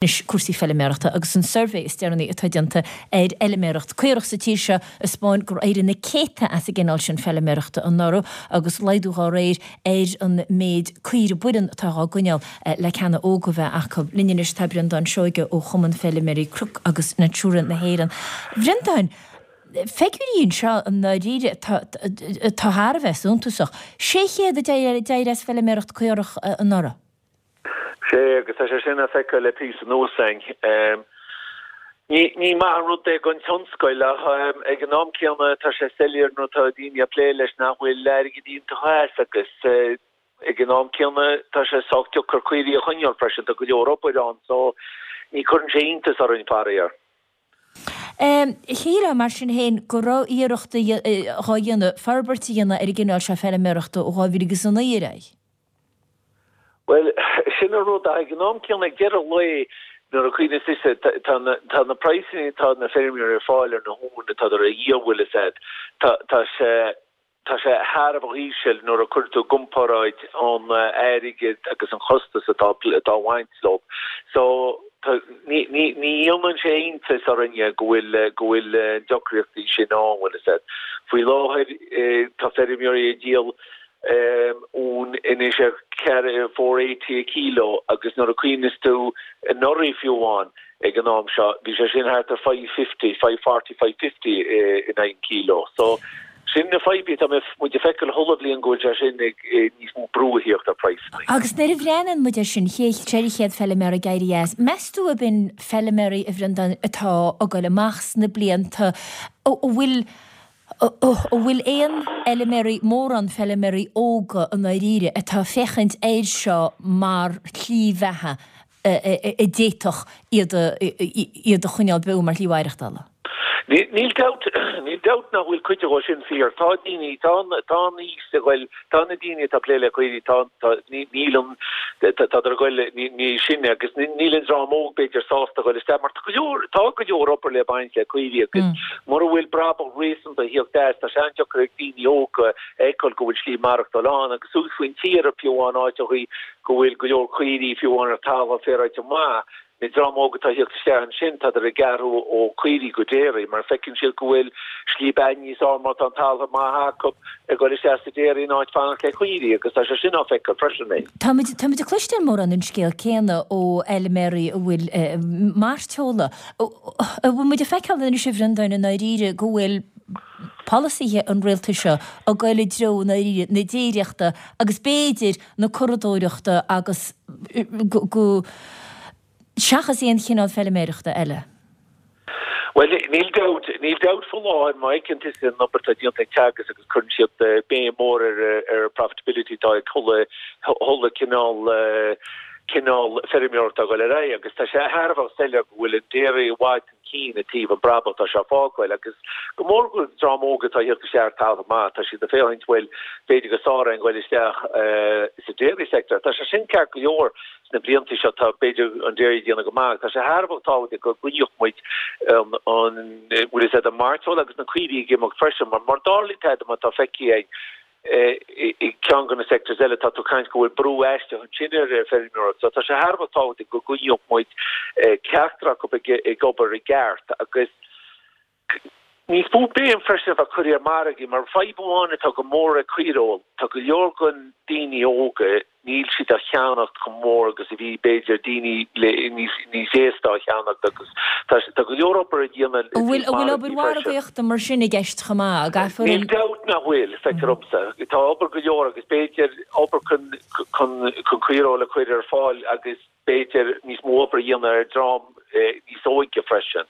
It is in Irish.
Anois cúrsaí feiliméarachta agus an suirbhé is deireanaí atá déanta ar fheiliméaracht caorach sa tír seo ag 'spáin gur éirigh na céadta as an gcineál sin feiliméarachta anuraidh agus laghdú dhá réir ar an méid caoire baineann atá dhá gcoinneáil le ceana óga a bheith acu. Linn anois tá Breandán Seoige ó Chumann Feiliméaraí Cnoc agus Natura na hÉireann. A Bhreandáin, figiúirí anseo i ndáiríre atá thar a bheith suntasach. 600 a d'éirigh as feiliméaracht caorach anuraidh. Sea, agus tá sé sin á feiceáil le píosa anuas againn. Ní maith an rud é don tionscal ach ag an am céanna tá sé soiléir nuair atá daoine ag plé leis nach bhfuil airgead iontach as agus ag an am céanna tá sé sách deacair caoirigh a choinneáil freisin, tá go leor obair ann so ní cuireann sé iontas orainn faraor. Shílfeá, mar sin féin, go raibh iarrachtaí dhá dhéanamh forbairt a dhéanamh ar an gcineál seo feiliméarachta ó 2009 ar aghaidh. Bhuel, sin an rud, ach ag an am céanna, ag deireadh an lae, nuair a chuimhníos tusa, tá na, tá na praghsanna atá na feirmeoirí ag fáil ar na huain atádar a dhíol, bhfuil fhios a'd, tá, tá sé, tá sé thar a bheith íseal nuair a chuir tú i gcomparáid an airgead agus an chostas atá, atá ag baint leo. So, tá, ní, ní, ní dhéanann sé iontas orainne go bhfuil, go bhfuil na deacrachtaí sin ann, bhfuil fhios a'd. Faoi láthair, tá feirmeoirí ag díol uan anois ar 480 a kilo agus nuair a chuimhneas tú anuraidh fiú amháin ag an am seo bhí sé sin thart ar 550, 540, 550 in aghaidh an kilo. So sin na fadhbanna atá muid ag feiceáil chuile bhliain go bhfuil sé sin ag níos mó brú a thíocht ar praghsanna. Agus nuair a bhreathnaíonn muid air sin, 400 feiliméara ag éirí as, meas tú ab in feiliméaraí a Bhreandáin atá ag goil amach sna blianta, a bhfuil An bhfuil aon fheiliméaraí, mórán feiliméaraí óga i ndáiríre atá ag féachaint air seo mar shlí bheatha a d'fhéadfadh iad iad a choinneáil beo mar shlí mhaireachtála? Níl dabht, níl dabht nach bhfuil cuid dhó sin fíor. Tá daoine, tá an, tá an aois ag goil, tá na daoine atá ag plé le caoirigh, tá, tá, níl an, tádar ag goil níos sine agus níl an dream óg b'fhéidir sásta a ghoil isteach mar tá go leor, tá go leor obair le baint le caoirigh agus mura bhfuil brabach réasúnta ag thíocht as, tá sé an-deacair ag daoine óga a fheiceáil go bhfuil slí maireachtáil ann agus suas faoin tír fiú amháin áiteachaí go bhfuil go leor caoirigh fiú amháin ar talamh féaráilte maith. Na dream óg atá ag thíocht isteach ansin, tádar ag athrú ó caoirigh go dairy mar feiceann siad go bhfuil slí beatha níos fearr má tá an talamh maith acu ag dul isteach sa dairy in áit fanacht le caoirigh agus tá sé sin á feiceáil freisin. Táimid, táimid ag cloisteáil mórán an scéal céanna ó fheilméaraí a bhfuil mairteola. An bhfuil muid ag feiceáil anois a Bhreandáin i ndáiríre go bhfuil polasaithe an rialtais seo ag goil i dtreo i ndáiríre na déiríochta agus b'fhéidir na curadóireachta agus go seachas aon chineál feiliméireachta eile. Bhuel, níl dabht, níl dabht faoi láthair, má fheiceann tusa an obair atá déanta ag Teagasc agus cuireann siad béim mhór ar ar profitability atá ag chuile, chuile cineál, cineál feirmeoireachta ag dul ar aghaidh agus tá sé thar a bheith soiléir go bhfuil an dairy i bhfad chun cinn i dtaobh an brabach atá sé ag fágáil agus go mór go dream óg atá ag thíocht isteach ar talamh maith, tá siad ag féachaint bhuel b'fhéidir gur fearr dúinn goil isteach sa dairy sector. Tá sé sin ceart go leor sna blianta seo tá b'fhéidir an dairy ag déanamh go maith. Tá sé thar a bheith tábhachtach go gcoinneodh muid an an bhfuil fhios a'd an mairteoil agus na caoirigh ag imeacht freisin mar mar darlaigh tada má tá feicthe ag i gceann de na sectors eile, tá tú ag caint go bhfuil brú aisteach ansin ar feirmeoireacht. So tá sé thar a bheith tábhachtach go gcoinneodh muid ceachtar acu ag obair i gceart agus níos mó béim freisin a bheith curtha ar margaí mar fadhb amháin atá go mór ag caoireoil, tá go leor den daoine óga, níl siad á cheannacht chomh mór agus a bhí b'fhéidir daoine le níos níos aosta á cheannacht agus tá tá go leor obair a dhéanamh An bhfuil an bhfuil obair mhargaíochta mar sin i gceist chomh maith? An gcaithfear Níl dabht nach bhfuil, feictear dhomsa. Tá obair go leor agus b'fhéidir obair chun chun chun caoireoil a chur ar fáil agus b'fhéidir níos mó obair a dhéanamh ar dream níos óige freisin.